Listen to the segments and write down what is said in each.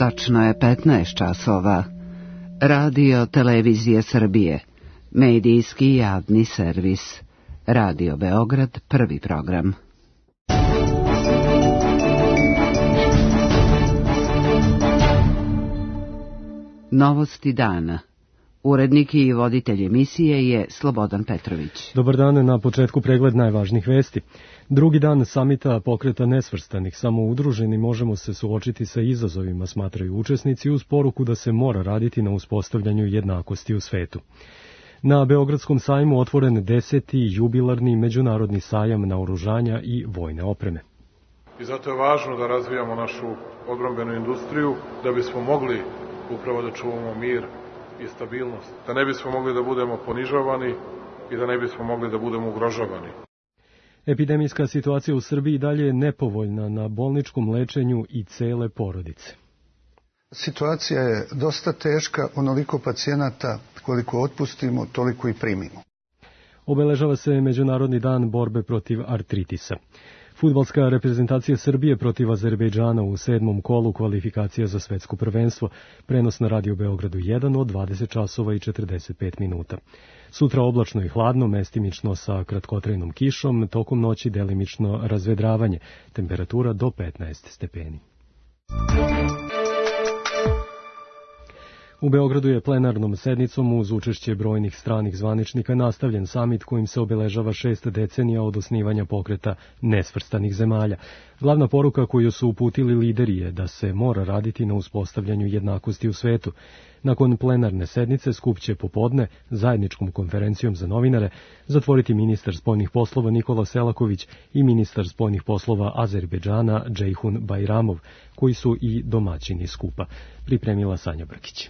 Tačno je 15 časova. Radio Televizije Srbije. Medijski javni servis. Radio Beograd, prvi program. Novosti dana. Urednik i voditelj emisije je Slobodan Petrović. Dobar dan, na početku pregled najvažnijih vesti. Drugi dan samita pokreta nesvrstanih, samo udruženi možemo se suočiti sa izazovima, smatraju učesnici, uz poruku da se mora raditi na uspostavljanju jednakosti u svetu. Na Beogradskom sajmu otvoren 10. jubilarni međunarodni sajam naoružanja i vojne opreme. I zato je važno da razvijamo našu odbrambenu industriju, da bismo mogli upravo da čuvamo mir i stabilnost, da ne bismo mogli da budemo ponižavani i da ne bismo mogli da budemo ugrožavani. Epidemijska situacija u Srbiji dalje je nepovoljna na bolničkom lečenju i cele porodice. Situacija je dosta teška, onoliko pacijenata koliko otpustimo, toliko i primimo. Obeležava se Međunarodni dan borbe protiv artritisa. Fudbalska reprezentacija Srbije protiv Azerbejdžana u 7. kolu kvalifikacija za svetsko prvenstvo. Prenos na Radio Beogradu 1 od 20 časova i 45 minuta. Sutra oblačno i hladno, mestimično sa kratkotrajnom kišom, tokom noći delimično razvedravanje. Temperatura do 15 stepeni. U Beogradu je plenarnom sednicom uz učešće brojnih stranih zvaničnika nastavljen samit kojim se obeležava 6 decenija od osnivanja pokreta nesvrstanih zemalja. Glavna poruka koju su uputili lideri je da se mora raditi na uspostavljanju jednakosti u svetu. Nakon plenarne sednice skup će popodne zajedničkom konferencijom za novinare zatvoriti ministar spoljnih poslova Nikola Selaković i ministar spoljnih poslova Azerbejdžana Džejhun Bajramov, koji su i domaćini skupa. Pripremila Sanja Brkić.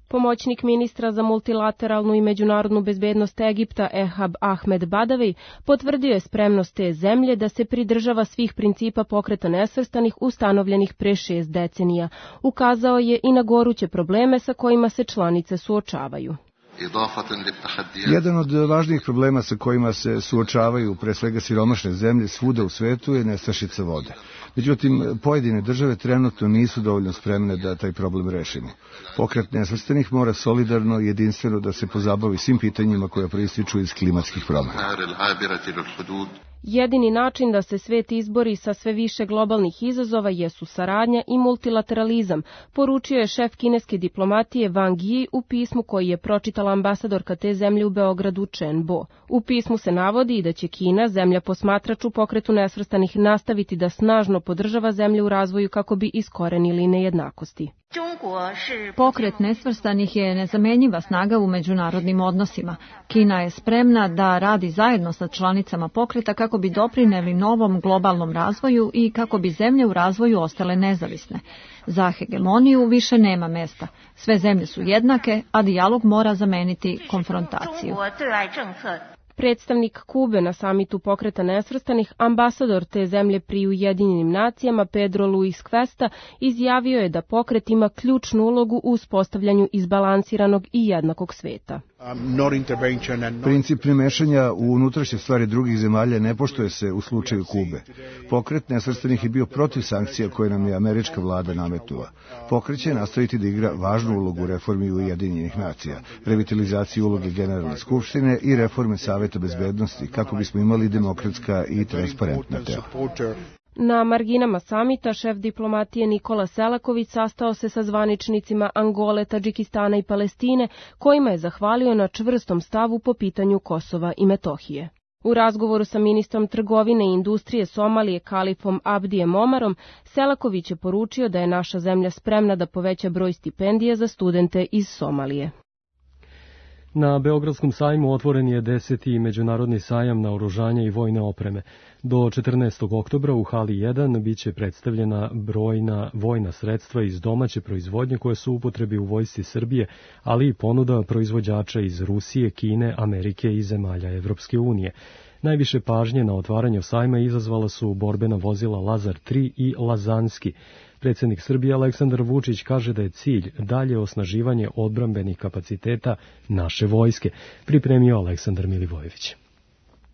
Pomoćnik ministra za multilateralnu i međunarodnu bezbednost Egipta Ehab Ahmed Badavi potvrdio je spremnost te zemlje da se pridržava svih principa pokreta nesvrstanih ustanovljenih pre 6 decenija. Ukazao je i na goruće probleme sa kojima se članice suočavaju. Jedan od važnijih problema sa kojima se suočavaju pre svega siromašne zemlje svuda u svetu je nestašica vode. Međutim, pojedine države trenutno nisu dovoljno spremne da taj problem rešimo. Pokret nesvrstanih mora solidarno i jedinstveno da se pozabavi svim pitanjima koja proističu iz klimatskih promena. Jedini način da se svet izbori sa sve više globalnih izazova jesu saradnja i multilateralizam, poručio je šef kineske diplomatije Wang Yi u pismu koji je pročitala ambasadorka te zemlje u Beogradu Chen Bo. U pismu se navodi i da će Kina, zemlja posmatrač u pokretu nesvrstanih, nastaviti da snažno podržava zemlje u razvoju kako bi iskorenili nejednakosti. Pokret nesvrstanih je nezamenjiva snaga u međunarodnim odnosima. Kina je spremna da radi zajedno sa članicama pokreta kako bi doprineli novom globalnom razvoju i kako bi zemlje u razvoju ostale nezavisne. Za hegemoniju više nema mesta. Sve zemlje su jednake, a dijalog mora zameniti konfrontaciju. Predstavnik Kube na samitu pokreta nesvrstanih, ambasador te zemlje pri Ujedinjenim nacijama Pedro Luis Cuesta, izjavio je da pokret ima ključnu ulogu u uspostavljanju izbalansiranog i jednakog sveta. Princip nemešanja u unutrašnje stvari drugih zemalja ne poštuje se u slučaju Kube. Pokret nesvrstanih je bio protiv sankcija koje nam je američka vlada nametnula. Pokret će nastaviti da igra važnu ulogu u reformi Ujedinjenih nacija, revitalizaciji uloge Generalne skupštine i reforme Saveta bezbednosti kako bismo imali demokratska i transparentna tela. Na marginama samita šef diplomatije Nikola Selaković sastao se sa zvaničnicima Angole, Tadžikistana i Palestine, kojima je zahvalio na čvrstom stavu po pitanju Kosova i Metohije. U razgovoru sa ministrom trgovine i industrije Somalije Kalifom Abdijem Omarom, Selaković je poručio da je naša zemlja spremna da poveća broj stipendija za studente iz Somalije. Na Beogradskom sajmu otvoren je 10. međunarodni sajam naoružanja i vojne opreme. Do 14. oktobra u hali 1 biće predstavljena brojna vojna sredstva iz domaće proizvodnje koje su u upotrebi u vojsci Srbije, ali i ponuda proizvođača iz Rusije, Kine, Amerike i zemalja Evropske unije. Najviše pažnje na otvaranju sajma izazvala su borbena vozila Lazar 3 i Lazanski. Predsjednik Srbije Aleksandar Vučić kaže da je cilj dalje osnaživanje odbrambenih kapaciteta naše vojske, pripremio Aleksandar Milivojević.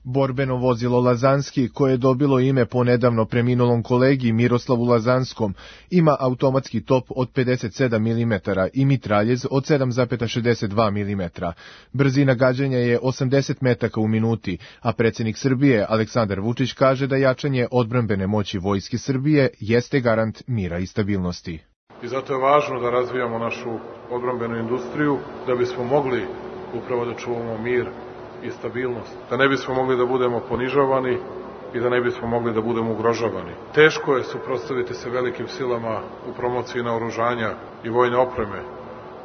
Borbeno vozilo Lazanski, koje je dobilo ime po nedavno preminulom kolegi Miroslavu Lazanskom, ima automatski top od 57 mm i mitraljez od 7,62 mm. Brzina gađanja je 80 metaka u minuti, a predsjednik Srbije Aleksandar Vučić kaže da jačanje odbrambene moći Vojske Srbije jeste garant mira i stabilnosti. I zato je važno da razvijamo našu odbrambenu industriju, da bismo mogli upravo da čuvamo mir i stabilnost, da ne bismo mogli da budemo ponižavani i da ne bismo mogli da budemo ugrožavani. Teško je suprotstaviti se velikim silama u promociji naoružanja i vojne opreme.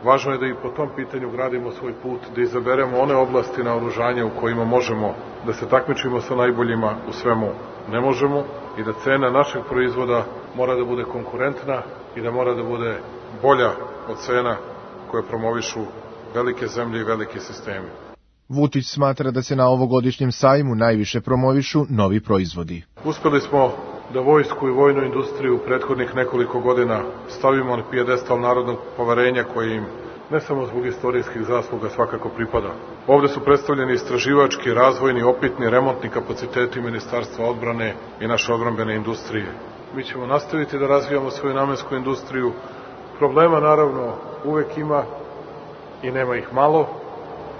Važno je da i po tom pitanju gradimo svoj put, da izaberemo one oblasti naoružanja u kojima možemo da se takmičimo sa najboljima, u svemu ne možemo, i da cena našeg proizvoda mora da bude konkurentna i da mora da bude bolja od cena koje promovišu velike zemlje i veliki sistemi. Vučić smatra da se na ovogodišnjem sajmu najviše promovišu novi proizvodi. Uspeli smo da vojsku i vojnu industriju prethodnih nekoliko godina stavimo na pijedestal narodnog poverenja koji im ne samo zbog istorijskih zasluga svakako pripada. Ovde su predstavljeni istraživački, razvojni, opitni, remontni kapaciteti Ministarstva odbrane i naše odbrambene industrije. Mi ćemo nastaviti da razvijamo svoju namensku industriju. Problema naravno uvek ima i nema ih malo,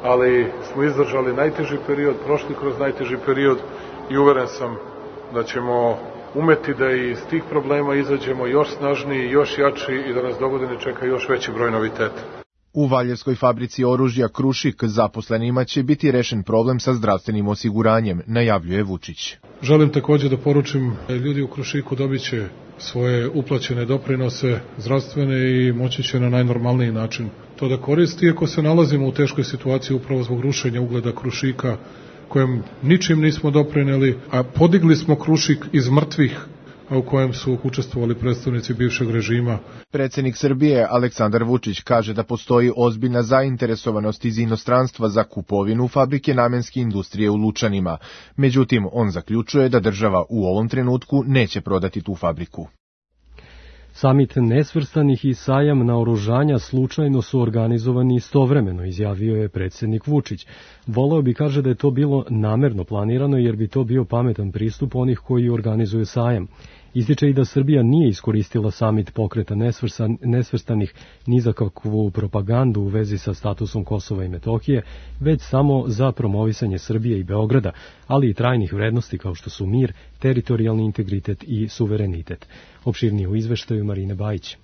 ali smo izdržali najteži period, prošli kroz najteži period i uveren sam da ćemo umeti da iz tih problema izađemo još snažniji, još jači i da nas dogodine čeka još veći broj noviteta. U Valjevskoj fabrici oružja Krušik zaposlenima će biti rešen problem sa zdravstvenim osiguranjem, najavljuje Vučić. Želim takođe da poručim da ljudi u Krušiku dobit će svoje uplaćene doprinose zdravstvene i moći će na najnormalniji način to da koristi, iako se nalazimo u teškoj situaciji upravo zbog rušenja ugleda Krušika, kojem ničim nismo doprineli, a podigli smo Krušik iz mrtvih, a u kojem su učestvovali predstavnici bivšeg režima. Predsjednik Srbije Aleksandar Vučić kaže da postoji ozbiljna zainteresovanost iz inostranstva za kupovinu fabrike namenske industrije u Lučanima. Međutim, on zaključuje da država u ovom trenutku neće prodati tu fabriku. Samit nesvrstanih i sajam naoružanja slučajno su organizovani istovremeno, izjavio je predsjednik Vučić. Voleo bi, kaže, da je to bilo namerno planirano jer bi to bio pametan pristup onih koji organizuju sajam. Ističe i da Srbija nije iskoristila samit pokreta nesvrstanih ni za kakvu propagandu u vezi sa statusom Kosova i Metohije, već samo za promovisanje Srbije i Beograda, ali i trajnih vrednosti kao što su mir, teritorijalni integritet i suverenitet. Opširnije u izveštaju Marine Bajić.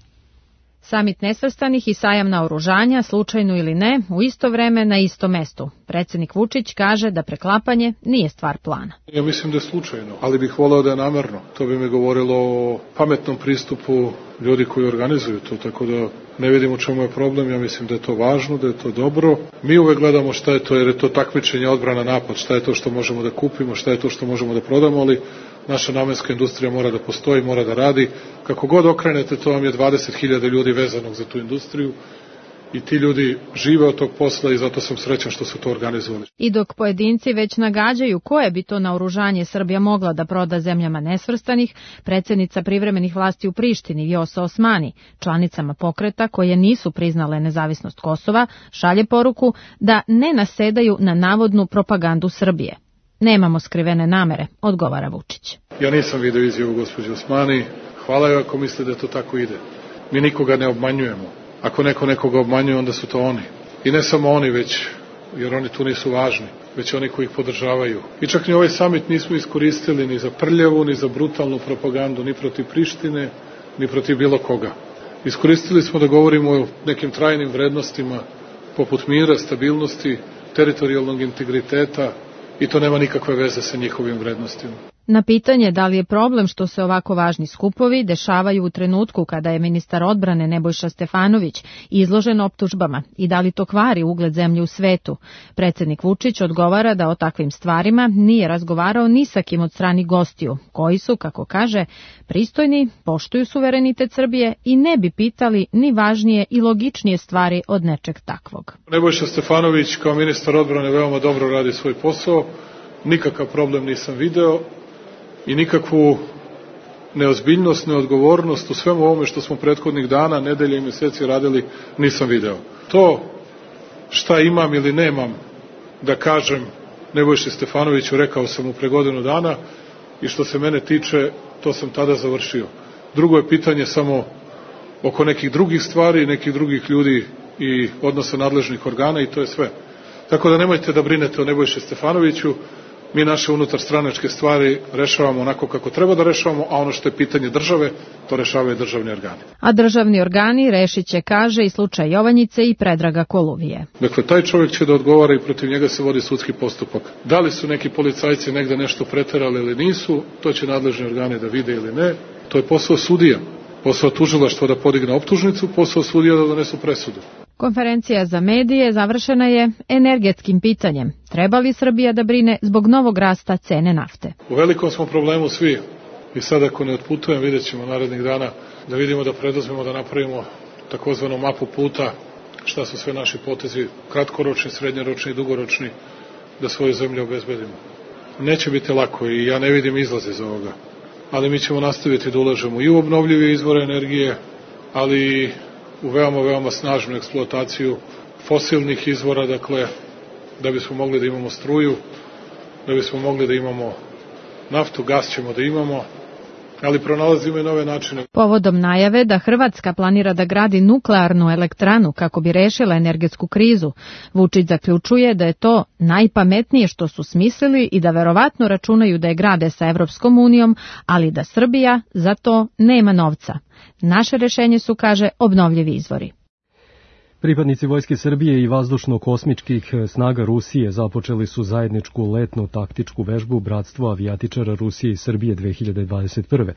Samit nesvrstanih i sajam naoružanja, slučajno ili ne, u isto vreme na istom mestu. Predsjednik Vučić kaže da preklapanje nije stvar plana. Ja mislim da je slučajno, ali bih voleo da je namerno. To bi mi govorilo o pametnom pristupu ljudi koji organizuju to, tako da ne vidim u čemu je problem. Ja mislim da je to važno, da je to dobro. Mi uvek gledamo šta je to, jer je to takmičenje, odbrana, napad, šta je to što možemo da kupimo, šta je to što možemo da prodamo, ali naša namenska industrija mora da postoji, mora da radi. Kako god okrenete, to vam je 20.000 ljudi vezanog za tu industriju i ti ljudi žive od tog posla i zato sam srećan što su to organizovali. I dok pojedinci već nagađaju koje bi to naoružanje Srbija mogla da proda zemljama nesvrstanih, predsjednica privremenih vlasti u Prištini Vjosa Osmani, članicama pokreta koje nisu priznale nezavisnost Kosova, šalje poruku da ne nasedaju na navodnu propagandu Srbije. Nemamo skrivene namere, odgovara Vučić. Ja nisam video izjavu gospođe Osmani. Hvala joj ako misle da to tako ide. Mi nikoga ne obmanjujemo. Ako neko nekoga obmanjuje, onda su to oni. I ne samo oni već, jer oni tu nisu važni, već oni koji ih podržavaju. I čak ni ovaj samit nismo iskoristili ni za prljavu, ni za brutalnu propagandu, ni protiv Prištine, ni protiv bilo koga. Iskoristili smo da govorimo o nekim trajnim vrednostima, poput mira, stabilnosti, teritorijalnog integriteta, i to nema nikakve veze sa njihovim vrednostima. Na pitanje da li je problem što se ovako važni skupovi dešavaju u trenutku kada je ministar odbrane Nebojša Stefanović izložen optužbama i da li to kvari ugled zemlje u svetu, predsjednik Vučić odgovara da o takvim stvarima nije razgovarao ni sa kim od strani gostiju, koji su, kako kaže, pristojni, poštuju suverenitet Srbije i ne bi pitali ni važnije i logičnije stvari od nečeg takvog. Nebojša Stefanović kao ministar odbrane veoma dobro radi svoj posao, nikakav problem nisam video i nikakvu neozbiljnost, neodgovornost u svemu ovome što smo prethodnih dana, nedelje i meseci radili nisam video. To šta imam ili nemam da kažem Nebojši Stefanoviću rekao sam mu pre godinu dana i što se mene tiče, to sam tada završio. Drugo je pitanje samo oko nekih drugih stvari, nekih drugih ljudi i odnosa nadležnih organa i to je sve. Tako da nemojte da brinete o Nebojši Stefanoviću, mi naše unutarstranačke stvari rešavamo onako kako treba da rešavamo, a ono što je pitanje države, to rešavaju državni organi. A državni organi rešit će, kaže, i slučaj Jovanjice i Predraga Koluvije. Dakle, taj čovjek će da odgovara i protiv njega se vodi sudski postupak. Da li su neki policajci negde nešto preterali ili nisu, to će nadležni organi da vide ili ne. To je posao sudija, posao tužilaštva da podigne optužnicu, posao sudija da donesu presudu. Konferencija za medije završena je energetskim pitanjem. Treba li Srbija da brine zbog novog rasta cene nafte? U velikom smo problemu svi i sad ako ne otputujem, vidjet ćemo narednih dana da vidimo da preduzmemo da napravimo takozvanu mapu puta, šta su sve naši potezi, kratkoročni, srednjoročni i dugoročni, da svoju zemlju obezbedimo. Neće biti lako i ja ne vidim izlaz iz ovoga, ali mi ćemo nastaviti da ulažemo i u obnovljive izvore energije, ali i u veoma snažnu eksploataciju fosilnih izvora, dakle, da bismo mogli da imamo struju, da bismo mogli da imamo naftu, gas ćemo da imamo, ali pronalazimo i nove načine. Povodom najave da Hrvatska planira da gradi nuklearnu elektranu kako bi rešila energetsku krizu, Vučić zaključuje da je to najpametnije što su smislili i da verovatno računaju da je grade sa Evropskom unijom, ali da Srbija za to nema novca. Naše rešenje su, kaže, obnovljivi izvori. Pripadnici Vojske Srbije i vazdušno-kosmičkih snaga Rusije započeli su zajedničku letnu taktičku vežbu Bratstvo avijatičara Rusije i Srbije 2021.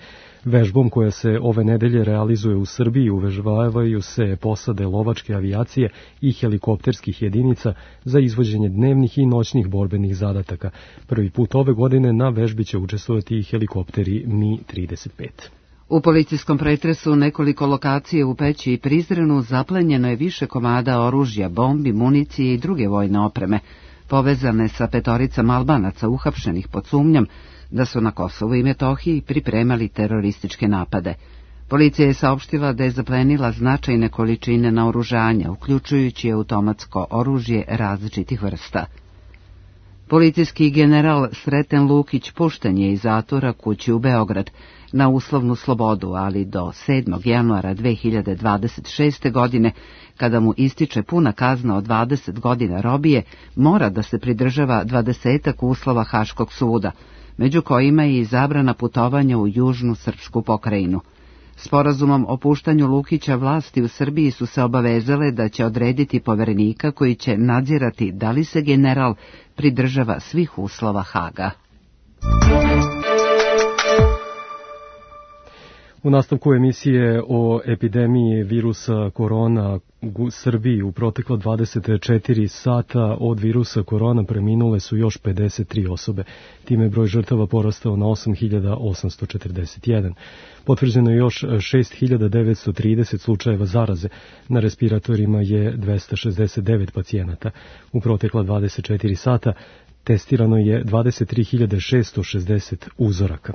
Vežbom koja se ove nedelje realizuje u Srbiji uvežbavaju se posade lovačke avijacije i helikopterskih jedinica za izvođenje dnevnih i noćnih borbenih zadataka. Prvi put ove godine na vežbi će učestvovati i helikopteri Mi-35. U policijskom pretresu u nekoliko lokacije u Peći i Prizrenu zaplenjeno je više komada oružja, bombi, municije i druge vojne opreme, povezane sa 5 Albanaca uhapšenih pod sumnjom da su na Kosovu i Metohiji pripremali terorističke napade. Policija je saopštila da je zaplenila značajne količine naoružanja, uključujući automatsko oružje različitih vrsta. Policijski general Sreten Lukić pušten je iz zatvora kući u Beograd na uslovnu slobodu, ali do 7. januara 2026. godine, kada mu ističe puna kazna od 20 godina robije, mora da se pridržava 20 uslova Haškog suda, među kojima je i zabrana putovanja u južnu srpsku pokrajinu. Sporazumom o puštanju Lukića vlasti u Srbiji su se obavezale da će odrediti poverenika koji će nadzirati da li se general pridržava svih uslova Haga. U nastavku emisije o epidemiji virusa korona u Srbiji u proteklo 24 sata od virusa korona preminule su još 53 osobe. Time je broj žrtava porastao na 8.841. Potvrđeno je još 6.930 slučajeva zaraze. Na respiratorima je 269 pacijenata. U protekla 24 sata testirano je 23.660 uzoraka.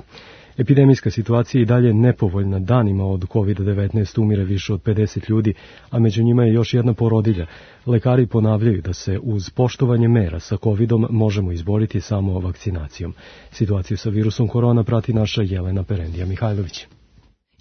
Epidemijska situacija i dalje nepovoljna. Danima od COVID-19 umire više od 50 ljudi, a među njima je još jedna porodilja. Lekari ponavljaju da se uz poštovanje mera sa COVID-om možemo izboriti samo vakcinacijom. Situaciju sa virusom korona prati naša Jelena Perendija Mihajlović.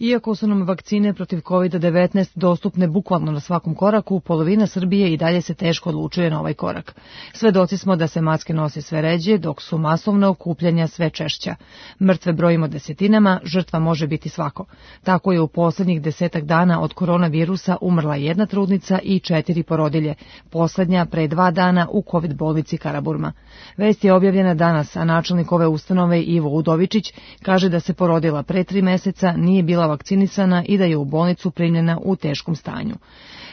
Iako su nam vakcine protiv COVID-19 dostupne bukvalno na svakom koraku, polovina Srbije i dalje se teško odlučuje na ovaj korak. Svedoci smo da se maske nose sve ređe, dok su masovna okupljanja sve češća. Mrtve brojimo desetinama, žrtva može biti svako. Tako je u poslednjih 10 dana od koronavirusa umrla 1 trudnica i 4 porodilje, poslednja pre 2 dana u COVID bolnici Karaburma. Vest je objavljena danas, a načelnik ove ustanove Ivo Udovičić kaže da se porodila pre 3 meseca, nije bila vakcinisana i da je u bolnicu primljena u teškom stanju.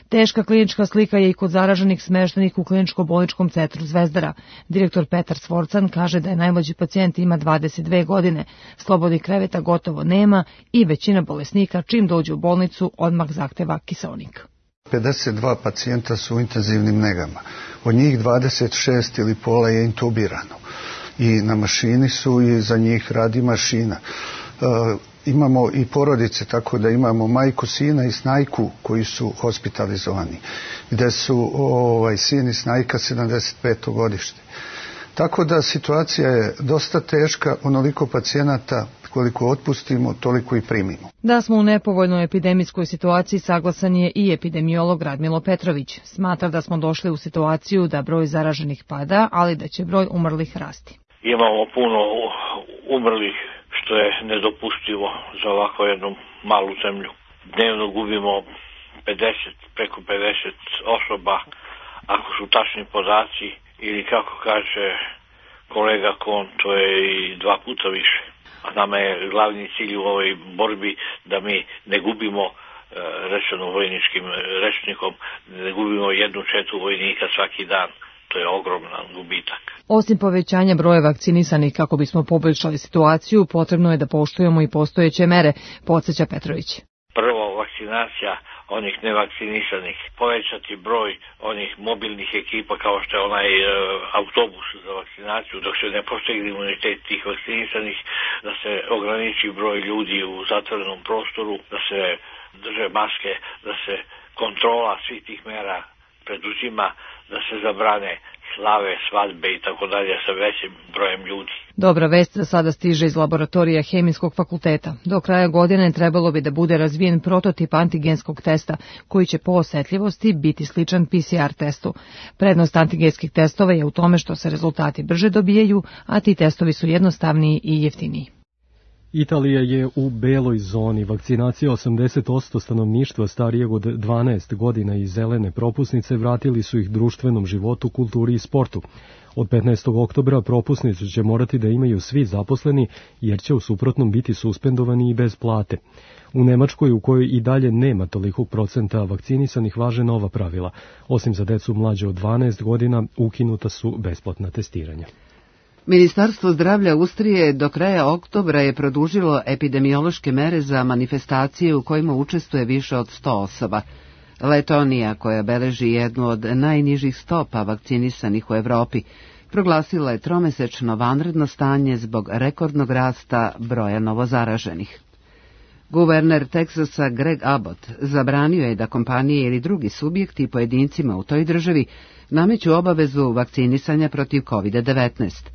Teška klinička slika je i kod zaraženih smeštenih u kliničko-bolničkom centru Zvezdara. Direktor Petar Svorcan kaže da je najmlađi pacijent ima 22 godine, slobodnih kreveta gotovo nema i većina bolesnika čim dođe u bolnicu odmah zahteva kiseonik. 52 pacijenta su u intenzivnim negama, od njih 26 ili pola je intubirano i na mašini su i za njih radi mašina. Imamo i porodice, tako da imamo majku, sina i snajku koji su hospitalizovani, gde su sin i snajka 75. godište. Tako da situacija je dosta teška, onoliko pacijenata koliko otpustimo, toliko i primimo. Da smo u nepovoljnoj epidemijskoj situaciji saglasan je i epidemiolog Radmilo Petrović. Smatra da smo došli u situaciju da broj zaraženih pada, ali da će broj umrlih rasti. Imamo puno umrlih, što je nedopustivo za ovako jednu malu zemlju. Dnevno gubimo preko 50 osoba, ako su tačni podaci, ili kako kaže kolega Kon, to je i 2 puta više. A nama je glavni cilj u ovoj borbi da mi ne gubimo, rečeno vojničkim rečnikom, ne gubimo 1/4 vojnika svaki dan. To je ogroman gubitak. Osim povećanja broja vakcinisanih kako bismo poboljšali situaciju, potrebno je da poštujemo i postojeće mere, podsjeća Petrović. Prvo, vakcinacija onih nevakcinisanih, povećati broj onih mobilnih ekipa kao što je onaj autobus za vakcinaciju, dok se ne postigne imunitet tih vakcinisanih, da se ograniči broj ljudi u zatvorenom prostoru, da se drže maske, da se kontrola svih tih mera preduzima, da se zabrane slave, svadbe i tako dalje sa većim brojem ljudi. Dobra vest za sada stiže iz laboratorija Hemijskog fakulteta. Do kraja godine trebalo bi da bude razvijen prototip antigenskog testa, koji će po osetljivosti biti sličan PCR testu. Prednost antigenskih testova je u tome što se rezultati brže dobijaju, a ti testovi su jednostavniji i jeftiniji. Italija je u beloj zoni. Vakcinacija 80% stanovništva starijeg od 12 godina i zelene propusnice vratili su ih društvenom životu, kulturi i sportu. Od 15. oktobra propusnicu će morati da imaju svi zaposleni, jer će u suprotnom biti suspendovani i bez plate. U Nemačkoj, u kojoj i dalje nema tolikog procenta vakcinisanih, važe nova pravila. Osim za decu mlađe od 12 godina, ukinuta su besplatna testiranja. Ministarstvo zdravlja Austrije do kraja oktobra je produžilo epidemiološke mere za manifestacije u kojima učestvuje više od 100 osoba. Letonija, koja beleži jednu od najnižih stopa vakcinisanih u Evropi, proglasila je tromesečno vanredno stanje zbog rekordnog rasta broja novozaraženih. Guverner Teksasa Greg Abbott zabranio je da kompanije ili drugi subjekti pojedincima u toj državi nameću obavezu vakcinisanja protiv COVID-19.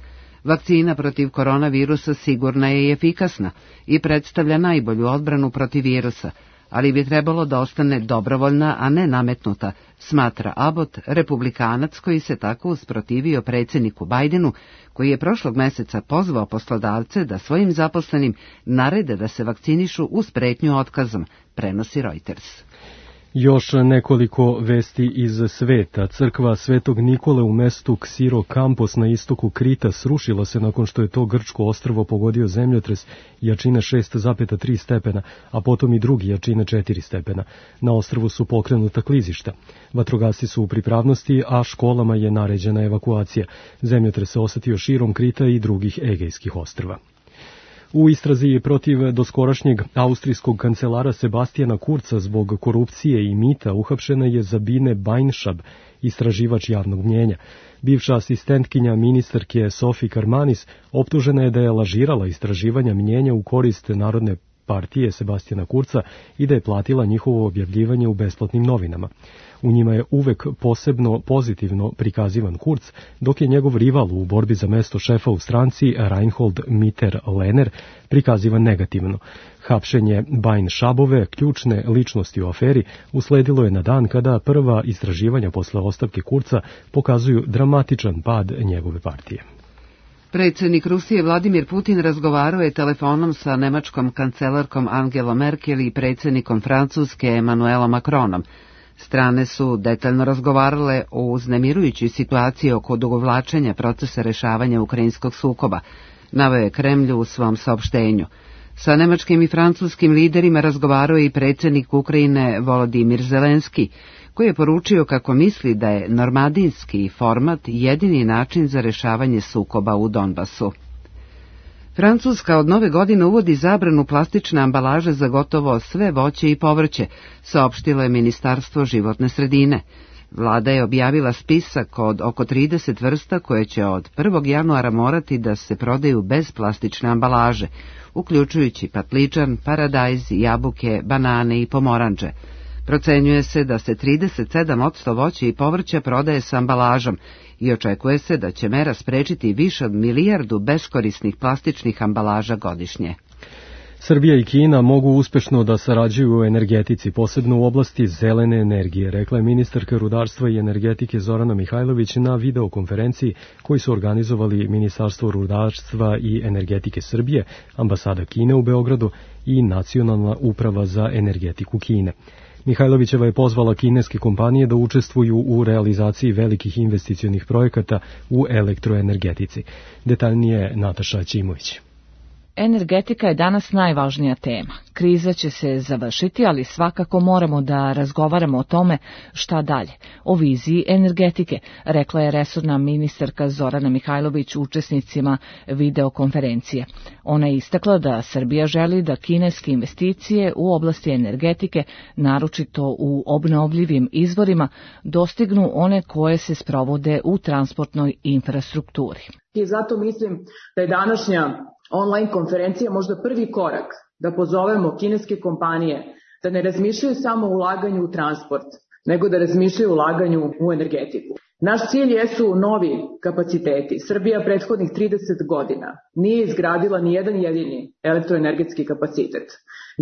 Vakcina protiv koronavirusa sigurna je i efikasna i predstavlja najbolju odbranu protiv virusa, ali bi trebalo da ostane dobrovoljna, a ne nametnuta, smatra Abbott, republikanac koji se tako usprotivio predsjedniku Bidenu, koji je prošlog meseca pozvao poslodavce da svojim zaposlenim narede da se vakcinišu uz pretnju otkazom, prenosi Reuters. Još nekoliko vesti iz sveta. Crkva Svetog Nikole u mestu Ksiro Kampos na istoku Krita srušila se nakon što je to grčko ostrvo pogodio zemljotres jačine 6,3 stepena, a potom i drugi jačine 4 stepena. Na ostrvu su pokrenuta klizišta. Vatrogasci su u pripravnosti, a školama je naređena evakuacija. Zemljotres se osetio širom Krita i drugih Egejskih ostrva. U istrazi protiv doskorašnjeg austrijskog kancelara Sebastijana Kurza zbog korupcije i mita uhapšena je Sabine Beinšab, istraživač javnog mnjenja. Bivša asistentkinja ministarke Sophie Karmanis optužena je da je lažirala istraživanja mnjenja u korist Narodne partije Sebastijana Kurza i da je platila njihovo objavljivanje u besplatnim novinama. U njima je uvek posebno pozitivno prikazivan Kurz, dok je njegov rival u borbi za mesto šefa u stranci Reinhold Mitter-Lehner prikazivan negativno. Hapšenje Beinšabove, ključne ličnosti u aferi, usledilo je na dan kada prva istraživanja posle ostavke Kurza pokazuju dramatičan pad njegove partije. Predsjednik Rusije Vladimir Putin razgovarao je telefonom sa nemačkom kancelarkom Angelom Merkel i predsjednikom Francuske Emmanuelom Macronom. Strane su detaljno razgovarale o uznemirujućoj situaciji oko odugovlačenja procesa rešavanja ukrajinskog sukoba, naveo je Kremlj u svom saopštenju. Sa nemačkim i francuskim liderima razgovarao je i predsjednik Ukrajine Volodimir Zelenski, koji je poručio kako misli da je normandijski format jedini način za rešavanje sukoba u Donbasu. Francuska od nove godine uvodi zabranu plastične ambalaže za gotovo sve voće i povrće, saopštilo je Ministarstvo životne sredine. Vlada je objavila spisak od oko 30 vrsta koje će od 1. januara morati da se prodaju bez plastične ambalaže, uključujući patliđan, paradajz, jabuke, banane i pomoranđe. Procenjuje se da se 37% voća i povrća prodaje sa ambalažom i očekuje se da će mera sprečiti više od 1 milijardu beskorisnih plastičnih ambalaža godišnje. Srbija i Kina mogu uspešno da sarađuju u energetici, posebno u oblasti zelene energije, rekla je ministarka rudarstva i energetike Zorana Mihajlović na videokonferenciji koju su organizovali Ministarstvo rudarstva i energetike Srbije, ambasada Kine u Beogradu i Nacionalna uprava za energetiku Kine. Mihajlovićeva je pozvala kineske kompanije da učestvuju u realizaciji velikih investicionih projekata u elektroenergetici. Detaljnije Nataša Ćimović. Energetika je danas najvažnija tema. Kriza će se završiti, ali svakako moramo da razgovaramo o tome šta dalje, o viziji energetike, rekla je resorna ministarka Zorana Mihajlović učesnicima videokonferencije. Ona je istakla da Srbija želi da kineske investicije u oblasti energetike, naročito u obnovljivim izvorima, dostignu one koje se sprovode u transportnoj infrastrukturi. I zato mislim da je današnja online konferencija možda prvi korak da pozovemo kineske kompanije da ne razmišljaju samo o ulaganju u transport, nego da razmišljaju o ulaganju u energetiku. Naš cilj jesu novi kapaciteti. Srbija prethodnih 30 godina nije izgradila ni jedan jedini elektroenergetski kapacitet.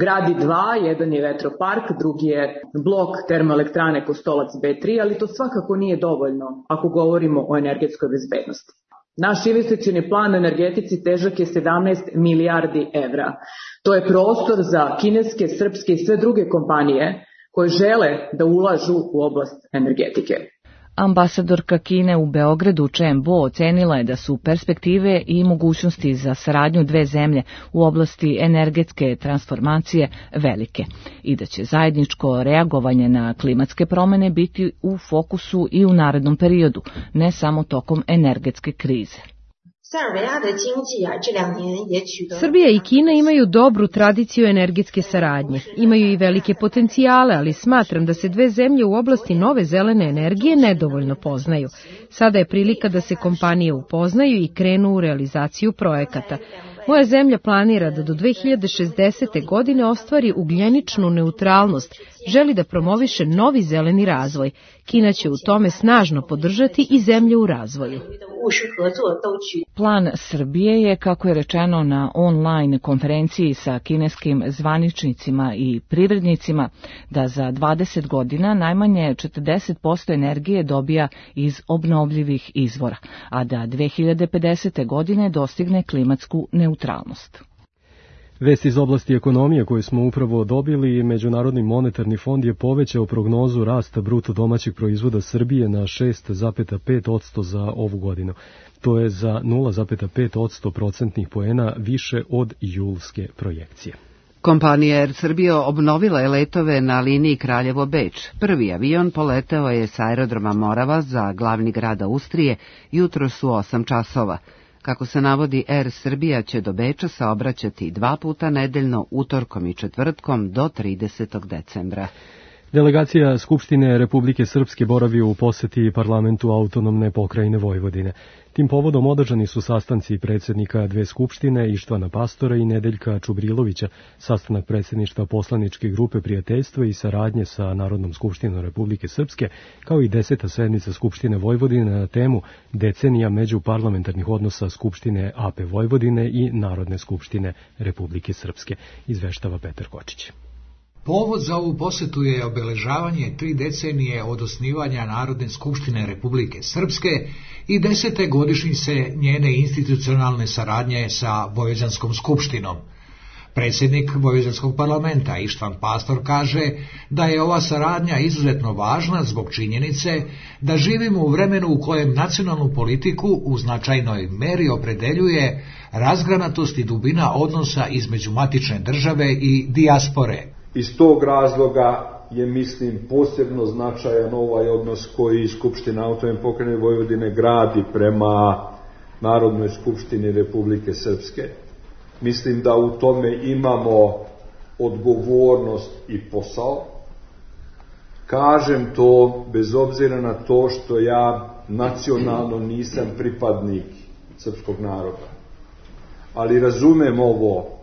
Gradi dva, jedan je vetropark, drugi je blok termoelektrane Kostolac B3, ali to svakako nije dovoljno ako govorimo o energetskoj bezbednosti. Naš investicioni plan na energetici težak je 17 milijardi evra. To je prostor za kineske, srpske i sve druge kompanije koje žele da ulažu u oblast energetike. Ambasadorka Kine u Beogradu Chen Bo ocenila je da su perspektive i mogućnosti za saradnju dve zemlje u oblasti energetske transformacije velike i da će zajedničko reagovanje na klimatske promene biti u fokusu i u narednom periodu, ne samo tokom energetske krize. Srbija i Kina imaju dobru tradiciju energetske saradnje. Imaju i velike potencijale, ali smatram da se dve zemlje u oblasti nove zelene energije nedovoljno poznaju. Sada je prilika da se kompanije upoznaju i krenu u realizaciju projekata. Moja zemlja planira da do 2060. godine ostvari ugljeničnu neutralnost, želi da promoviše novi zeleni razvoj. Kina će u tome snažno podržati i zemlje u razvoju. Plan Srbije je, kako je rečeno na online konferenciji sa kineskim zvaničnicima i privrednicima, da za 20 godina najmanje 40% energije dobija iz obnovljivih izvora, a da 2050. godine dostigne klimatsku neutralnost. Vest iz oblasti ekonomije koju smo upravo dobili, Međunarodni monetarni fond je povećao prognozu rasta bruto domaćeg proizvoda Srbije na 6,5% za ovu godinu. To je za 0,5% procentnih poena više od julske projekcije. Kompanija Air Srbija obnovila je letove na liniji Kraljevo-Beč. Prvi avion poleteo je sa aerodroma Morava za glavni grad Austrije jutros u 8 časova. Kako se navodi, Air Srbija će do Beča saobraćati 2 puta nedeljno, utorkom i četvrtkom do 30. decembra. Delegacija Skupštine Republike Srpske boravi u poseti parlamentu autonomne pokrajine Vojvodine. Tim povodom održani su sastanci predsjednika dve skupštine, Ištvana Pastora i Nedeljka Čubrilovića, sastanak predsjedništva poslaničke grupe prijateljstva i saradnje sa Narodnom skupštinom Republike Srpske, kao i 10. sednica Skupštine Vojvodine na temu decenija međuparlamentarnih odnosa Skupštine AP Vojvodine i Narodne skupštine Republike Srpske, izveštava Petar Kočić. Povod za ovu posetu je obeležavanje 3 decenije od osnivanja Narodne skupštine Republike Srpske i 10. godišnjice njene institucionalne saradnje sa Vojvođanskom skupštinom. Predsjednik Vojvođanskog parlamenta Ištvan Pastor kaže da je ova saradnja izuzetno važna zbog činjenice da živimo u vremenu u kojem nacionalnu politiku u značajnoj meri opredeljuje razgranatost i dubina odnosa između matične države i dijaspore. Iz tog razloga je, mislim, posebno značajan ovaj odnos koji Skupština autonomne pokrajine Vojvodine gradi prema Narodnoj skupštini Republike Srpske. Mislim da u tome imamo odgovornost i posao. Kažem to bez obzira na to što ja nacionalno nisam pripadnik srpskog naroda. Ali razumem ovo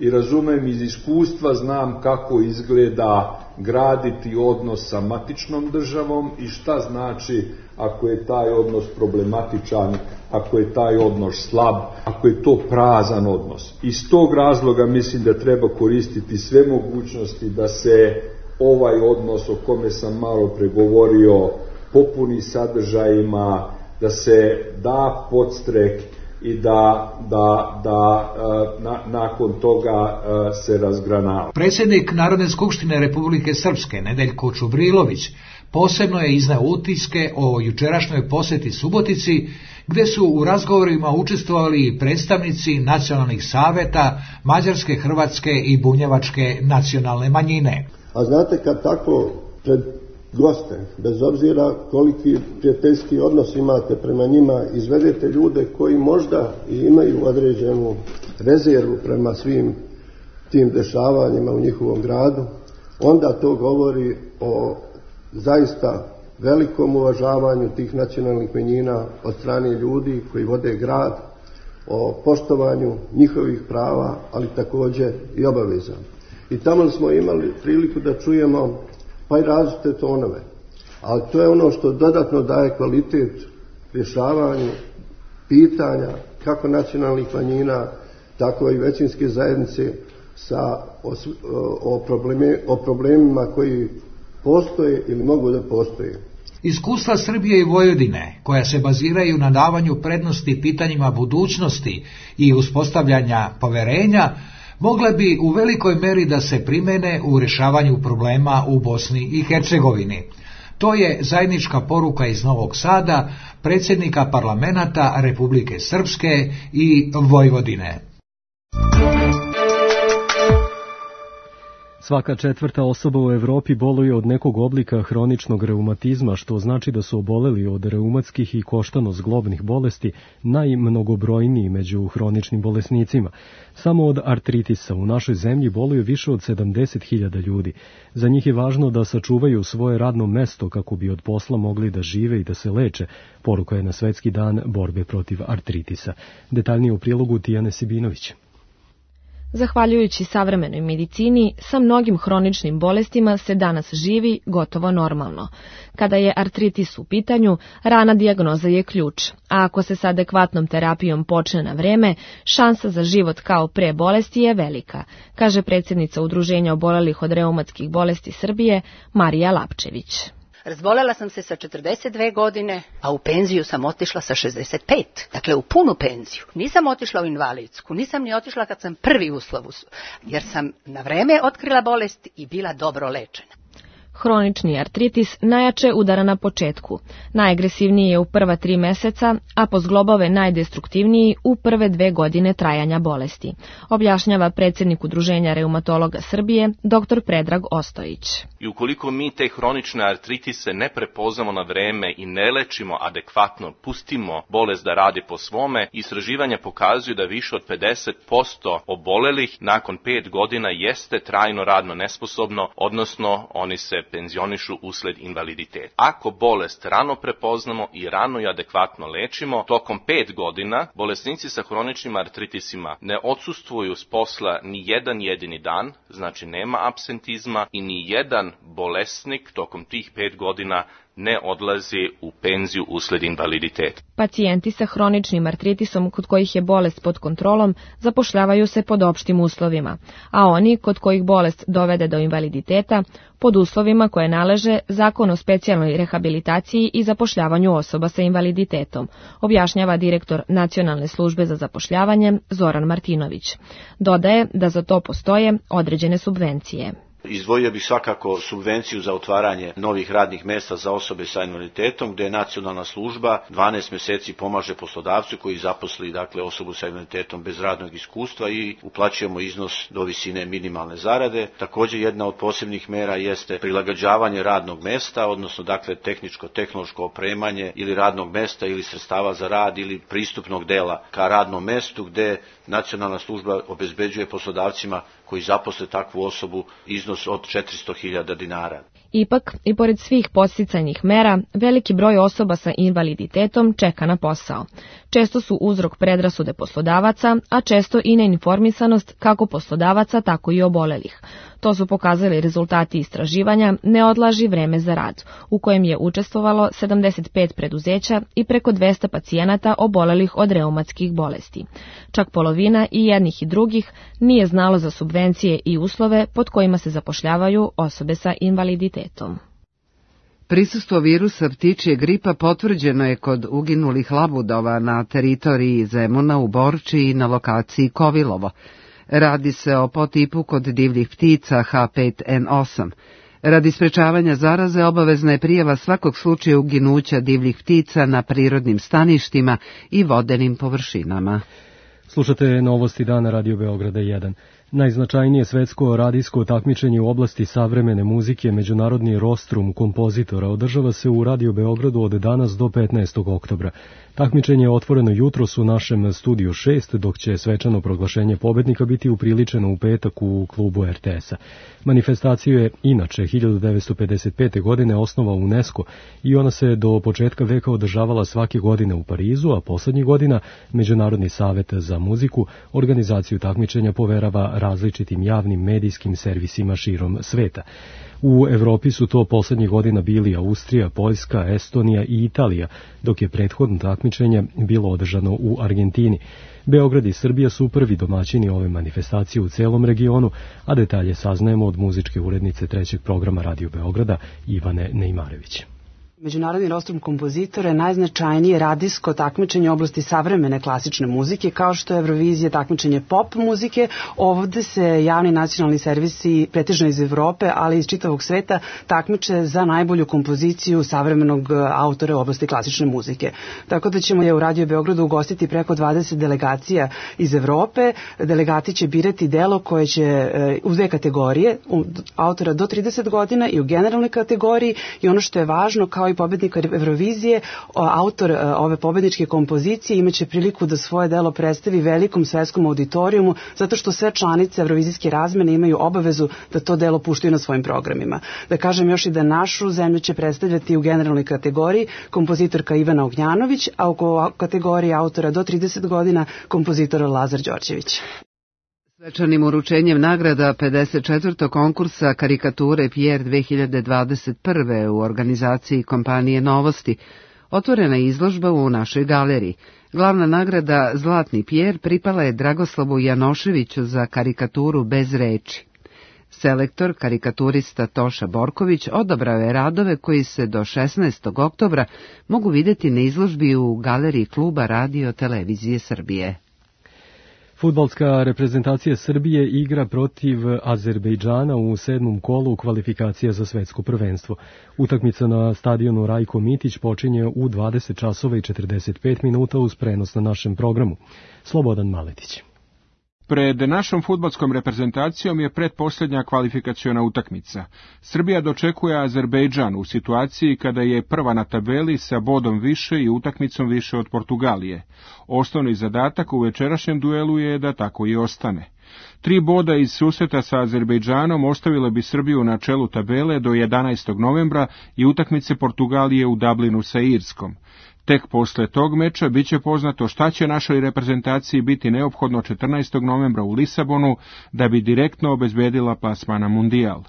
i razumem iz iskustva, znam kako izgleda graditi odnos sa matičnom državom i šta znači ako je taj odnos problematičan, ako je taj odnos slab, ako je to prazan odnos. Iz tog razloga mislim da treba koristiti sve mogućnosti da se ovaj odnos o kome sam malo pregovorio popuni sadržajima, da se da podstrek i da nakon toga se razgranava. Predsjednik Narodne skupštine Republike Srpske Nedeljko Čubrilović posebno je izneo utiske o jučerašnjoj posjeti Subotici, gdje su u razgovorima učestvovali predstavnici nacionalnih saveta mađarske, hrvatske i bunjevačke nacionalne manjine. A znate, kad tako pred goste, bez obzira koliki prijateljski odnos imate prema njima, izvedete ljude koji možda i imaju određenu rezervu prema svim tim dešavanjima u njihovom gradu, onda to govori o zaista velikom uvažavanju tih nacionalnih manjina od strane ljudi koji vode grad, o poštovanju njihovih prava, ali također i obaveza. I tamo smo imali priliku da čujemo pa i različite tonove, ali to je ono što dodatno daje kvalitet rješavanju pitanja kako nacionalnih manjina, tako i većinske zajednice o problemima koji postoje ili mogu da postoje. Iskustva Srbije i Vojvodine, koja se baziraju na davanju prednosti pitanjima budućnosti i uspostavljanja poverenja, mogle bi u velikoj meri da se primene u rješavanju problema u Bosni i Hercegovini. To je zajednička poruka iz Novog Sada, predsjednika parlamenata Republike Srpske i Vojvodine. Svaka četvrta osoba u Evropi boluje od nekog oblika hroničnog reumatizma, što znači da su oboleli od reumatskih i koštano-zglobnih bolesti najmnogobrojniji među hroničnim bolesnicima. Samo od artritisa u našoj zemlji boluje više od 70.000 ljudi. Za njih je važno da sačuvaju svoje radno mesto kako bi od posla mogli da žive i da se leče, poruka je na Svetski dan borbe protiv artritisa. Detaljnije u prilogu Tijane Sibinović. Zahvaljujući savremenoj medicini, sa mnogim hroničnim bolestima se danas živi gotovo normalno. Kada je artritis u pitanju, rana dijagnoza je ključ, a ako se s adekvatnom terapijom počne na vreme, šansa za život kao pre bolesti je velika, kaže predsjednica Udruženja obolelih od reumatskih bolesti Srbije, Marija Lapčević. Razbolela sam se sa 42 godine, a u penziju sam otišla sa 65. Dakle, u punu penziju. Nisam otišla u invalidsku, nisam ni otišla kad sam prvi uslov, jer sam na vreme otkrila bolest i bila dobro lečena. Hronični artritis najjače udara na početku. Najagresivniji je u prva 3 meseca, a po zglobove najdestruktivniji u prve 2 godine trajanja bolesti, objašnjava predsjednik Udruženja reumatologa Srbije, dr. Predrag Ostojić. I ukoliko mi te hronične artritise ne prepoznamo na vreme i ne lečimo adekvatno, pustimo bolest da radi po svome, istraživanja pokazuju da više od 50% obolelih nakon 5 godina jeste trajno radno nesposobno, odnosno oni se penzionišu usled invaliditeta. Ako bolest rano prepoznamo i rano i adekvatno lečimo, tokom 5 godina bolesnici sa hroničnim artritisima ne odsustvuju s posla ni jedan jedini dan, znači nema apsentizma, i ni jedan bolesnik tokom tih 5 godina ne odlazi u penziju usled invaliditeta. Pacijenti sa hroničnim artritisom kod kojih je bolest pod kontrolom zapošljavaju se pod opštim uslovima, a oni kod kojih bolest dovede do invaliditeta pod uslovima koje naleže Zakon o specijalnoj rehabilitaciji i zapošljavanju osoba sa invaliditetom, objašnjava direktor Nacionalne službe za zapošljavanje Zoran Martinović. Dodaje da za to postoje određene subvencije. Izdvojio bih svakako subvenciju za otvaranje novih radnih mjesta za osobe sa invaliditetom, gdje nacionalna služba 12 mjeseci pomaže poslodavcu koji zaposli osobu sa invaliditetom bez radnog iskustva i uplaćujemo iznos do visine minimalne zarade. Također jedna od posebnih mjera jeste prilagođavanje radnog mjesta, odnosno tehničko-tehnološko opremanje ili radnog mjesta ili sredstava za rad ili pristupnog dela ka radnom mjestu, gdje nacionalna služba obezbeđuje poslodavcima koji zaposle takvu osobu iznos od 400.000 dinara. Ipak, i pored svih podsticajnih mera, veliki broj osoba sa invaliditetom čeka na posao. Često su uzrok predrasude poslodavaca, a često i neinformisanost kako poslodavaca, tako i obolelih. To su pokazali rezultati istraživanja Ne odlaži vreme za rad, u kojem je učestvovalo 75 preduzeća i preko 200 pacijenata obolelih od reumatskih bolesti. Čak polovina i jednih i drugih nije znalo za subvencije i uslove pod kojima se zapošljavaju osobe sa invaliditetom. Prisustvo virusa ptičje gripa potvrđeno je kod uginulih labudova na teritoriji Zemuna u Borči i na lokaciji Kovilovo. Radi se o potipu kod divljih ptica H5N8. Radi sprečavanja zaraze obavezna je prijava svakog slučaja uginuća divljih ptica na prirodnim staništima i vodenim površinama. Slušate novosti dana Radio Beograda 1. Najznačajnije svetsko radijsko takmičenje u oblasti savremene muzike Međunarodni rostrum kompozitora održava se u Radio Beogradu od danas do 15. oktobra. Takmičenje je otvoreno jutros u našem studiju 6, dok će svečano proglašenje pobednika biti upriličeno u petak u klubu RTS-a. Manifestaciju je inače 1955. godine osnovao UNESCO i ona se do početka veka održavala svake godine u Parizu, a poslednjih godina Međunarodni savet za muziku organizaciju takmičenja poverava različitim javnim medijskim servisima širom sveta. U Evropi su to poslednjih godina bili Austrija, Poljska, Estonija i Italija, dok je prethodno takmičenje bilo održano u Argentini. Beograd i Srbija su prvi domaćini ove manifestacije u celom regionu, a detalje saznajemo od muzičke urednice trećeg programa Radio Beograda Ivane Nejmarević. Međunarodni rostrum kompozitora je najznačajnije radijsko takmičenje u oblasti savremene klasične muzike, kao što je Eurovizija takmičenje pop muzike. Ovde se javni nacionalni servisi, pretežno iz Evrope, ali i iz čitavog sveta, takmiče za najbolju kompoziciju savremenog autora u oblasti klasične muzike. Tako da ćemo je u Radio Beogradu ugostiti preko 20 delegacija iz Evrope. Delegati će birati delo koje će u dve kategorije, autora do 30 godina i u generalnoj kategoriji, i ono što je važno, kao i pobednika Eurovizije, autor ove pobedničke kompozicije imaće priliku da svoje delo predstavi velikom svetskom auditorijumu, zato što sve članice Eurovizijske razmene imaju obavezu da to delo puštaju na svojim programima. Da kažem još i da našu zemlju će predstavljati u generalnoj kategoriji kompozitorka Ivana Ognjanović, a u kategoriji autora do 30 godina kompozitor Lazar Đorđević. Svečanim uručenjem nagrada 54. konkursa karikature Pierre 2021. u organizaciji kompanije Novosti otvorena je izložba u našoj galeriji. Glavna nagrada Zlatni Pierre pripala je Dragoslavu Janoševiću za karikaturu Bez reči. Selektor, karikaturista Toša Borković odabrao je radove koji se do 16. oktobra mogu vidjeti na izložbi u galeriji kluba Radio Televizije Srbije. Fudbalska reprezentacija Srbije igra protiv Azerbejdžana u 7. kolu kvalifikacija za svetsko prvenstvo. Utakmica na stadionu Rajko Mitić počinje u 20 časova i 45 minuta uz prenos na našem programu. Slobodan Maletić. Pred našom fudbalskom reprezentacijom je pretposljednja kvalifikaciona utakmica. Srbija dočekuje Azerbejdžan u situaciji kada je prva na tabeli sa bodom više i utakmicom više od Portugalije. Osnovni zadatak u večerašnjem duelu je da tako i ostane. 3 boda iz susreta sa Azerbejdžanom ostavile bi Srbiju na čelu tabele do 11. novembra i utakmice Portugalije u Dublinu sa Irskom. Tek posle tog meča biće poznato šta će našoj reprezentaciji biti neophodno 14. novembra u Lisabonu da bi direktno obezbedila plasman na Mundijal.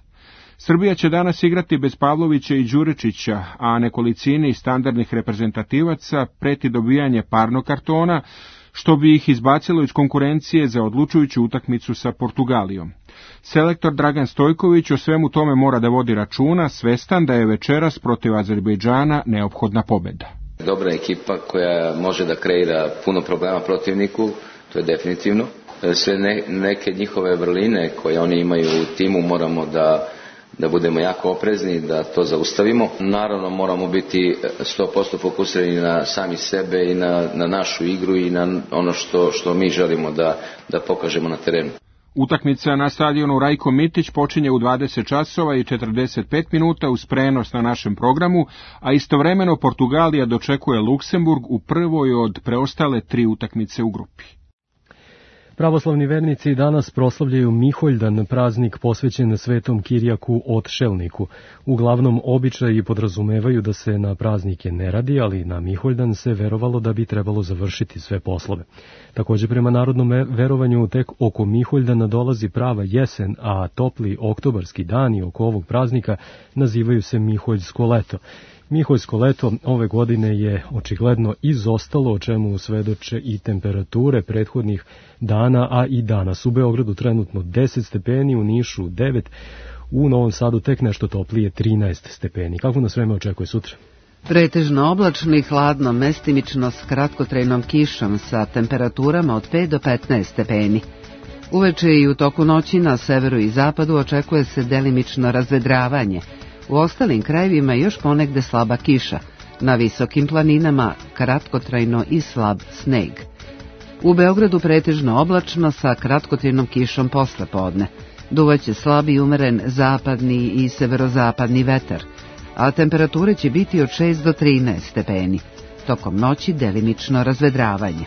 Srbija će danas igrati bez Pavlovića i Đuričića, a nekolicini standardnih reprezentativaca preti dobijanje parnog kartona, što bi ih izbacilo iz konkurencije za odlučujuću utakmicu sa Portugalijom. Selektor Dragan Stojković o svemu tome mora da vodi računa, svestan da je večeras protiv Azerbejdžana neophodna pobeda. Dobra ekipa koja može da kreira puno problema protivniku, to je definitivno. Sve neke njihove vrline koje oni imaju u timu moramo da budemo jako oprezni, da to zaustavimo. Naravno moramo biti 100% fokusirani na sami sebe i na našu igru i na ono što mi želimo da pokažemo na terenu. Utakmica na stadionu Rajko Mitić počinje u 20 časova i 45 minuta uz prenos na našem programu, a istovremeno Portugalija dočekuje Luksemburg u prvoj od preostale 3 utakmice u grupi. Pravoslavni vernici danas proslavljaju Miholjdan, praznik posvećen Svetom Kirjaku Otšelniku. Uglavnom, običaji podrazumevaju da se na praznike ne radi, ali na Miholjdan se verovalo da bi trebalo završiti sve poslove. Također, prema narodnom verovanju, tek oko Miholjdana dolazi prava jesen, a topli oktobarski dani oko ovog praznika nazivaju se Miholjsko leto. Miholjsko leto ove godine je očigledno izostalo, o čemu svedoče i temperature prethodnih dana, a i danas. U Beogradu trenutno 10 stepeni, u Nišu 9, u Novom Sadu tek nešto toplije 13 stepeni. Kako nas vreme očekuje sutra? Pretežno oblačno i hladno, mestimično s kratkotrajnom kišom sa temperaturama od 5 do 15 stepeni. Uveče i u toku noći na severu i zapadu očekuje se delimično razvedravanje. U ostalim krajevima još ponegde slaba kiša, na visokim planinama kratkotrajno i slab sneg. U Beogradu pretežno oblačno sa kratkotrajnom kišom posle podne. Duvaće slab i umeren zapadni i severozapadni vetar, a temperature će biti od 6 do 13 stepeni. Tokom noći delimično razvedravanje.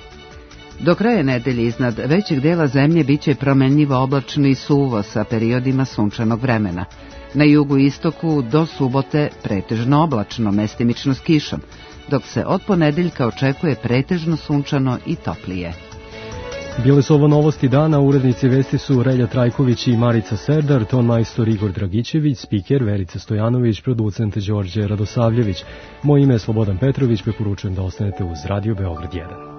Do kraja nedelje iznad većeg dela zemlje biće promenljivo oblačno i suvo sa periodima sunčanog vremena. Na jugu i istoku do subote pretežno oblačno, mestimično s kišom, dok se od ponedeljka očekuje pretežno sunčano i toplije. Bile su ovo novosti dana, urednici vesti su Relja Trajković i Marica Serdar, ton majstor Igor Dragićević, spiker Verica Stojanović, producent Đorđe Radosavljević. Moje ime je Slobodan Petrović, preporučujem da ostanete uz Radio Beograd 1.